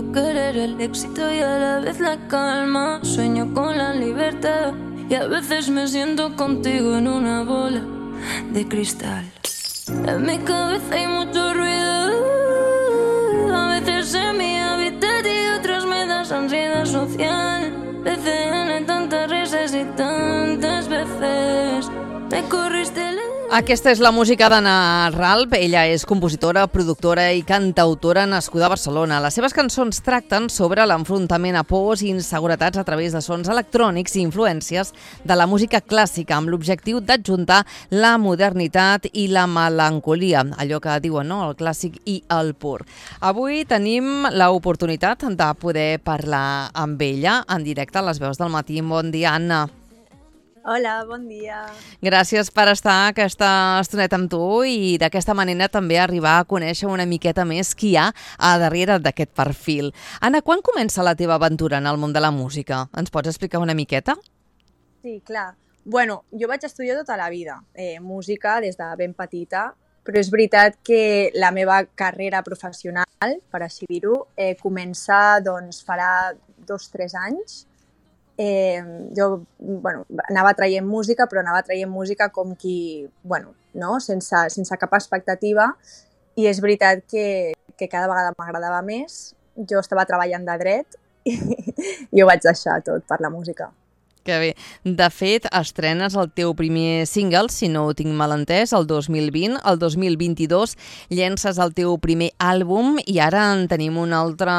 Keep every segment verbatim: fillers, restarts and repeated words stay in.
puedo querer el éxito y a la vez la calma. Sueño con la libertad y a veces me siento contigo en una bola de cristal. En mi cabeza hay mucho ruido, a veces en mi hábitat y otras me das ansiedad social. P C N, tantas risas y tantas veces me corriste la... Aquesta és la música d'Anna Ralph. Ella és compositora, productora i cantautora nascuda a Barcelona. Les seves cançons tracten sobre l'enfrontament a pors i inseguretats a través de sons electrònics i influències de la música clàssica, amb l'objectiu d'adjuntar la modernitat i la melancolia, allò que diuen, no?, el clàssic i el pur. Avui tenim l'oportunitat de poder parlar amb ella en directe a les Veus del Matí. Bon dia, Anna. Hola, bon dia. Gràcies per estar aquesta estoneta amb tu i d'aquesta manera també arribar a conèixer una miqueta més qui hi ha a darrere d'aquest perfil. Anna, quan comença la teva aventura en el món de la música? Ens pots explicar una miqueta? Sí, clar. Bueno, jo vaig estudiar tota la vida eh, música des de ben petita, però és veritat que la meva carrera professional, per així dir-ho, eh, comença, doncs, farà dos o tres anys. Eh, jo bueno, anava traient música, però anava traient música com qui, bueno, no? sense, sense cap expectativa, i és veritat que, que cada vegada m'agradava més. Jo estava treballant de dret i, i ho vaig deixar tot per la música. Que bé. De fet, estrenes el teu primer single, si no ho tinc mal entès, el dos mil vint. El dos mil vint-i-dos llences el teu primer àlbum i ara en tenim un altre,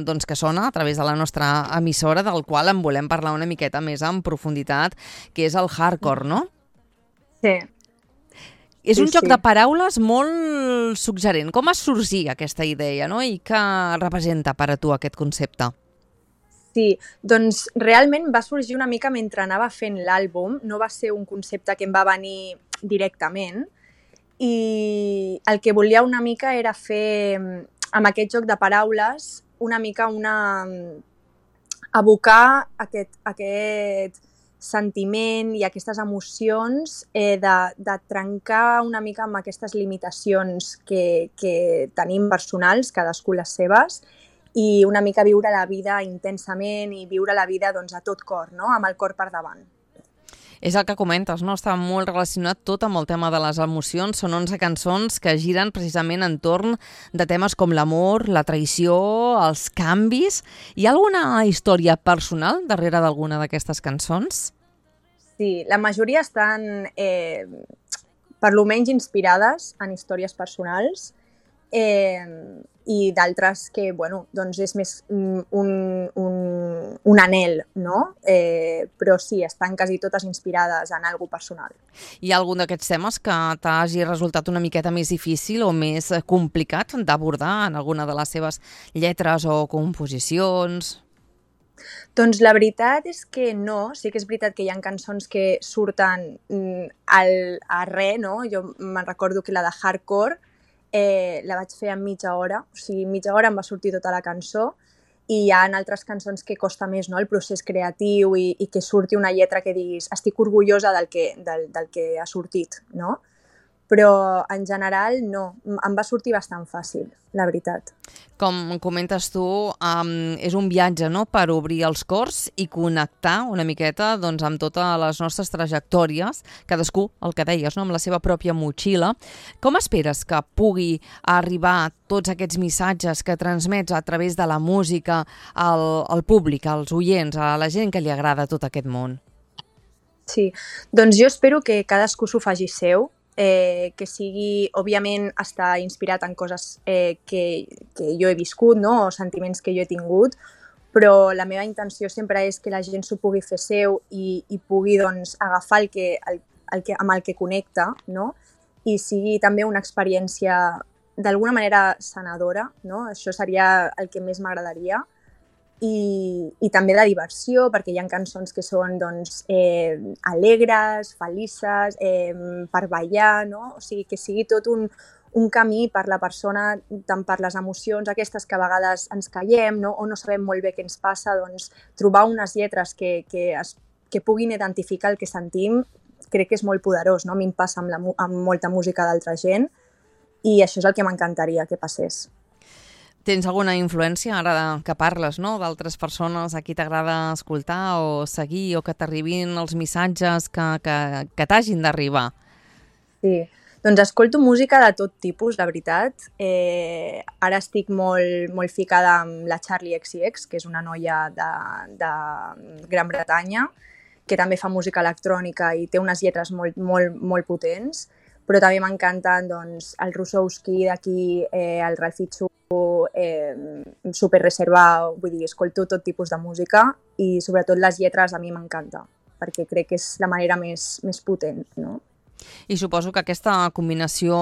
doncs, que sona a través de la nostra emissora, del qual en volem parlar una miqueta més en profunditat, que és el hardcore, no? Sí. És sí, un joc sí. de paraules molt suggerent. Com es sorgí aquesta idea, no? I què representa per a tu aquest concepte? Sí, doncs realment va sorgir una mica mentre anava fent l'àlbum, no va ser un concepte que em va venir directament, i el que volia una mica era fer, amb aquest joc de paraules, una mica una... abocar aquest, aquest sentiment i aquestes emocions eh, de, de trencar una mica amb aquestes limitacions que, que tenim personals, cadascú les seves, i una mica viure la vida intensament i viure la vida doncs, a tot cor, no? Amb el cor per davant. És el que comentes, no? Està molt relacionat tot amb el tema de les emocions. Són onze cançons que giren precisament entorn de temes com l'amor, la traïció, els canvis. Hi ha alguna història personal darrere d'alguna d'aquestes cançons? Sí, la majoria estan eh, per lo menys inspirades en històries personals, eh, i d'altres que, bueno, doncs és més un, un, un anhel, no? Eh, però sí, estan quasi totes inspirades en alguna cosa personal. Hi ha algun d'aquests temes que t'hagi resultat una miqueta més difícil o més complicat d'abordar en alguna de les seves lletres o composicions? Doncs la veritat és que no. Sí que és veritat que hi ha cançons que surten al, a res, no? Jo me'n recordo que la de Hardcore Eh, la vaig fer en mitja hora, o sigui, en mitja hora em va sortir tota la cançó, i hi ha altres cançons que costa més, no?, el procés creatiu i, i que surti una lletra que diguis estic orgullosa del que, del, del que ha sortit, no? Però en general no, em va sortir bastant fàcil, la veritat. Com comentes tu, um, és un viatge, no?, per obrir els cors i connectar una miqueta doncs, amb totes les nostres trajectòries, cadascú, el que deies, no?, amb la seva pròpia motxilla. Com esperes que pugui arribar tots aquests missatges que transmets a través de la música al, al públic, als oients, a la gent que li agrada tot aquest món? Sí, doncs jo espero que cadascú s'ho faci seu, Eh, que sigui, òbviament, està inspirat en coses eh, que, que jo he viscut, no? O sentiments que jo he tingut, però la meva intenció sempre és que la gent s'ho pugui fer seu i, i pugui doncs, agafar el que, el, el que, amb el que connecta, no? I sigui també una experiència d'alguna manera sanadora, no? Això seria el que més m'agradaria. I, i també de diversió, perquè hi ha cançons que són doncs, eh, alegres, felices, eh, per ballar, no? O sigui, que sigui tot un, un camí per la persona, tant per les emocions aquestes que a vegades ens callem, no? O no sabem molt bé què ens passa, doncs trobar unes lletres que, que, es, que puguin identificar el que sentim, crec que és molt poderós, no? A mi em passa amb, la, amb molta música d'altra gent i això és el que m'encantaria que passés. Tens alguna influència, ara que parles, no?, d'altres persones a qui t'agrada escoltar o seguir o que t'arribin els missatges que, que, que t'hagin d'arribar? Sí, doncs escolto música de tot tipus, la veritat. Eh, ara estic molt, molt ficada amb la Charli X C X, que és una noia de, de Gran Bretanya, que també fa música electrònica i té unes lletres molt, molt, molt potents, però també m'encanten doncs, el Rusowski d'aquí, eh, el Ralfichu, eh, super reservat, vull dir, escolto tot tipus de música i sobretot les lletres a mi m'encanta, perquè crec que és la manera més, més potent, no? I suposo que aquesta combinació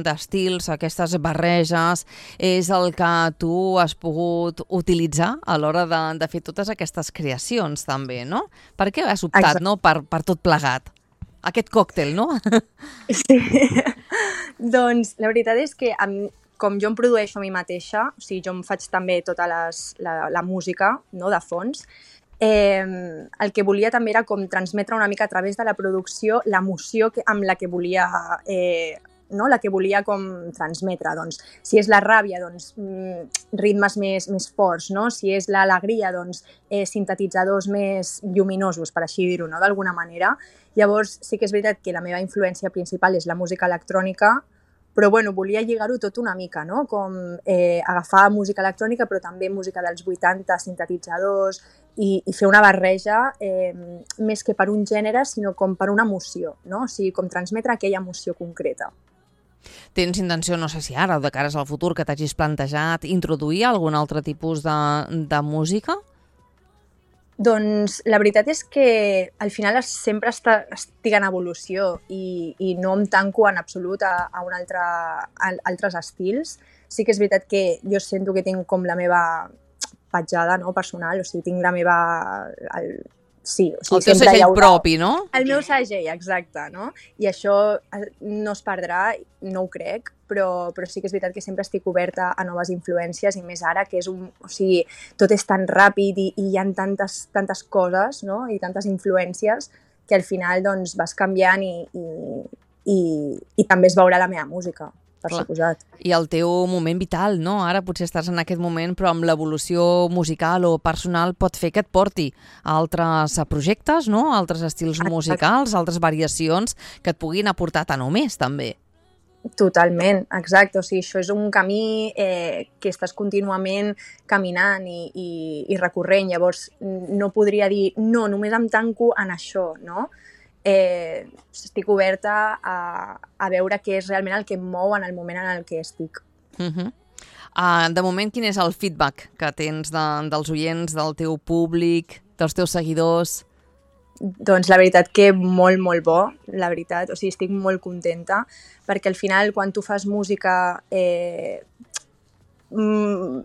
d'estils, aquestes barreges, és el que tu has pogut utilitzar a l'hora de, de fer totes aquestes creacions també, no? Per què has optat, no?, per, per tot plegat? Aquest còctel, no? Sí. Doncs la veritat és que amb, com jo em produeixo a mi mateixa, o sigui, jo em faig també tota les, la, la música, no?, de fons, eh, el que volia també era com transmetre una mica a través de la producció l'emoció que, amb la que volia eh, no? la que volia com transmetre. Doncs, si és la ràbia, doncs, ritmes més, més forts, no? Si és l'alegria, doncs, eh, sintetitzadors més lluminosos, per així dir-ho, no? D'alguna manera. Llavors, sí que és veritat que la meva influència principal és la música electrònica, però bueno, volia lligar-ho tot una mica, no? Com eh, agafar música electrònica, però també música dels vuitanta, sintetitzadors, i, i fer una barreja eh, més que per un gènere, sinó com per una emoció, no? O sigui, com transmetre aquella emoció concreta. Tens intenció, no sé si ara o de cares al futur, que t'hagis plantejat introduir algun altre tipus de, de música? Doncs la veritat és que al final sempre està, estic en evolució i, i no em tanco en absolut a, a, un altre, a altres estils. Sí que és veritat que jo sento que tinc com la meva petjada, no, personal, o sigui, tinc la meva... El, sí, o sigui, el teu segell haurà... propi, no? El meu segell, exacte, no? I això no es perdrà, no ho crec, però, però sí que és veritat que sempre estic oberta a noves influències i més ara que és un... O sigui, tot és tan ràpid i, i hi ha tantes, tantes coses, no? I tantes influències que al final doncs, vas canviant i, i, i, i també es veurà la meva música, per Clar. suposat. I el teu moment vital, no? Ara potser estàs en aquest moment, però amb l'evolució musical o personal pot fer que et porti a altres projectes, no? A altres estils musicals, altres variacions que et puguin aportar tant o més, també. Totalment, exacte. O sigui, això és un camí eh, que estàs contínuament caminant i, i, i recorrent. Llavors, no podria dir, no, només em tanco en això, no? Eh, estic oberta a, a veure què és realment el que em mou en el moment en el que estic. Uh-huh. uh, de moment, quin és el feedback que tens de, dels oients, del teu públic, dels teus seguidors? Doncs la veritat que molt, molt bo, la veritat. O sigui, estic molt contenta, perquè al final, quan tu fas música eh, no,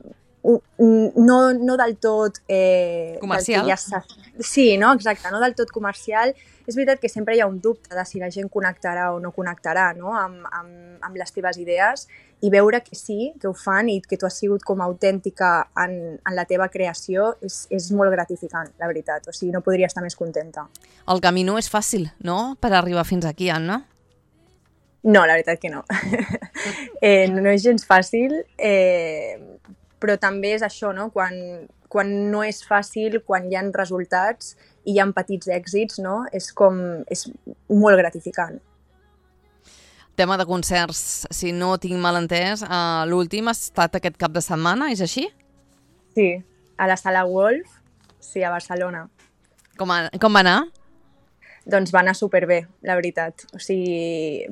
no del tot... Eh, comercial. Del ja sí, no? Exacte, no del tot comercial. És veritat que sempre hi ha un dubte de si la gent connectarà o no connectarà, no? amb, amb, amb les teves idees, i veure que sí, que ho fan i que tu has sigut com autèntica en, en la teva creació és, és molt gratificant, la veritat. O sigui, no podria estar més contenta. El camí no és fàcil, no?, per arribar fins aquí, Anna? No, la veritat que no. eh, no és gens fàcil, eh, però també és això, no? Quan, quan no és fàcil, quan hi ha resultats i hi ha petits èxits, no? És com... és molt gratificant. Tema de concerts, si no tinc mal entès, uh, l'últim ha estat aquest cap de setmana, és així? Sí, a la Sala Wolf, sí, a Barcelona. Com, a, com va anar? Doncs va anar superbé, la veritat. O sigui,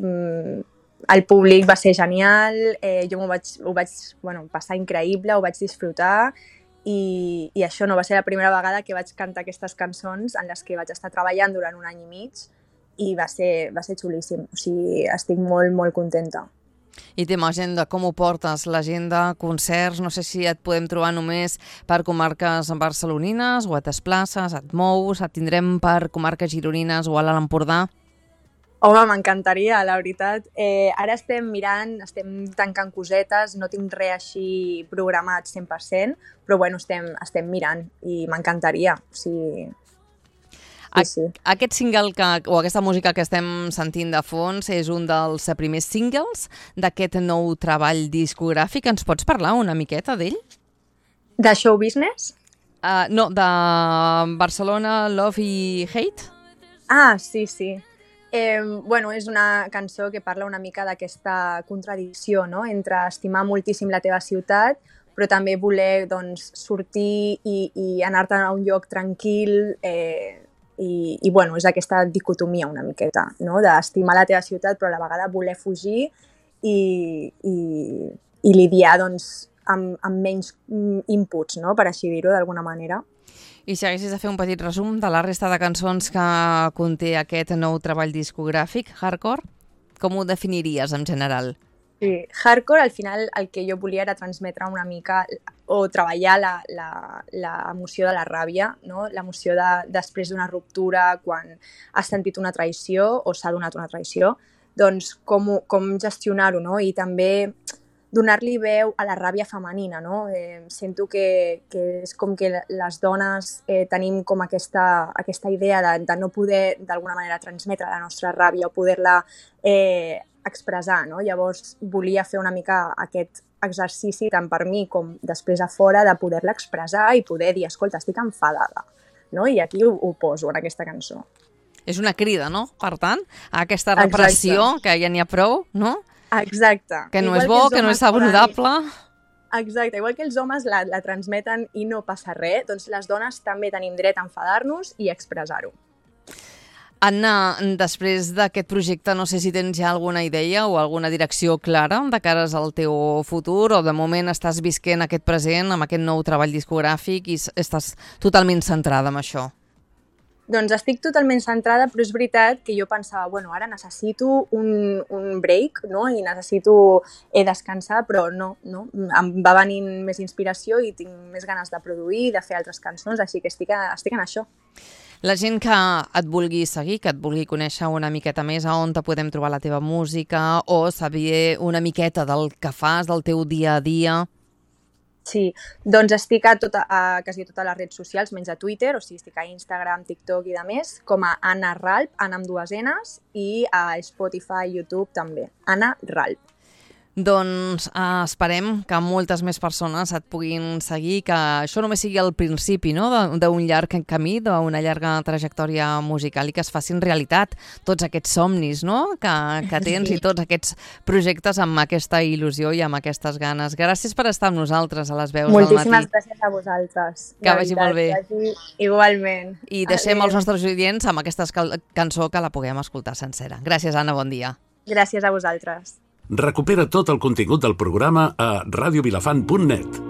el públic va ser genial, eh, jo m'ho vaig, ho vaig bueno, passar increïble, ho vaig disfrutar i, i això no va ser la primera vegada que vaig cantar aquestes cançons en les que vaig estar treballant durant un any i mig i va ser, va ser xulíssim. O sigui, estic molt, molt contenta. I tema agenda, com ho portes? L'agenda, concerts, no sé si et podem trobar només per comarques barcelonines o et desplaces, et mous, et tindrem per comarques gironines o a l'Alt Empordà? Home, m'encantaria, la veritat. Eh, ara estem mirant, estem tancant cosetes, no tinc res així programat cent per cent, però bueno, estem, estem mirant i m'encantaria. O sigui... Sí, sí. Aquest single que, o aquesta música que estem sentint de fons és un dels primers singles d'aquest nou treball discogràfic. Ens pots parlar una miqueta d'ell? De show business? Uh, no, de Barcelona, Love i Hate? Ah, sí, sí. Eh, bueno, és una cançó que parla una mica d'aquesta contradicció, no?, entre estimar moltíssim la teva ciutat, però també voler, doncs, sortir i, i anar-te'n a un lloc tranquil, eh, i, i bueno, és aquesta dicotomia una miqueta, no?, d'estimar la teva ciutat però a la vegada voler fugir i, i, i lidiar, doncs, amb, amb menys inputs, no?, per així dir-ho d'alguna manera. I si haguessis de fer un petit resum de la resta de cançons que conté aquest nou treball discogràfic, Hardcore, com ho definiries en general? Sí, Hardcore, al final, el que jo volia era transmetre una mica o treballar l'emoció de la ràbia, no? L'emoció de, després d'una ruptura, quan has sentit una traïció o s'ha donat una traïció, doncs com, com gestionar-ho, no? I també donar-li veu a la ràbia femenina, no? Eh, sento que, que és com que les dones eh, tenim com aquesta, aquesta idea de, de no poder d'alguna manera transmetre la nostra ràbia o poder-la eh, expressar, no? Llavors volia fer una mica aquest exercici tant per mi com després a fora de poder-la expressar i poder dir, escolta, estic enfadada, no? I aquí ho, ho poso en aquesta cançó. És una crida, no? Per tant, a aquesta repressió, exacte, que ja n'hi ha prou, no? Exacte. Que no igual és bo, que, que no és saludable. Exacte, igual que els homes la, la transmeten i no passa res, doncs les dones també tenim dret a enfadar-nos i expressar-ho. Anna, després d'aquest projecte, no sé si tens ja alguna idea o alguna direcció clara de cares al teu futur, o de moment estàs visquent aquest present amb aquest nou treball discogràfic i estàs totalment centrada en això? Doncs estic totalment centrada, però és veritat que jo pensava, bueno, ara necessito un, un break, no?, i necessito eh, descansar, però no, no, em va venint més inspiració i tinc més ganes de produir, de fer altres cançons, així que estic, a, estic en això. La gent que et vulgui seguir, que et vulgui conèixer una miqueta més, a on te podem trobar la teva música o saber una miqueta del que fas, del teu dia a dia? Sí, doncs estic a, tota, a quasi totes les redes socials, menys a Twitter, o sigui, estic a Instagram, TikTok i de més, com a Anna Ralp, Anna amb dues N's, i a Spotify, YouTube també, Anna Ralp. Doncs eh, esperem que moltes més persones et puguin seguir, que això només sigui el principi, no?, d'un llarg camí, d'una llarga trajectòria musical i que es facin realitat tots aquests somnis, no?, que, que tens, sí, i tots aquests projectes amb aquesta il·lusió i amb aquestes ganes. Gràcies per estar amb nosaltres a les veus Moltíssimes del matí. Moltíssimes gràcies a vosaltres. Que vagi molt bé. Vagi igualment. I deixem Adeu. Els nostres oients amb aquesta cançó que la puguem escoltar sencera. Gràcies, Anna, bon dia. Gràcies a vosaltres. Recupera tot el contingut del programa a radio vilafant punt net.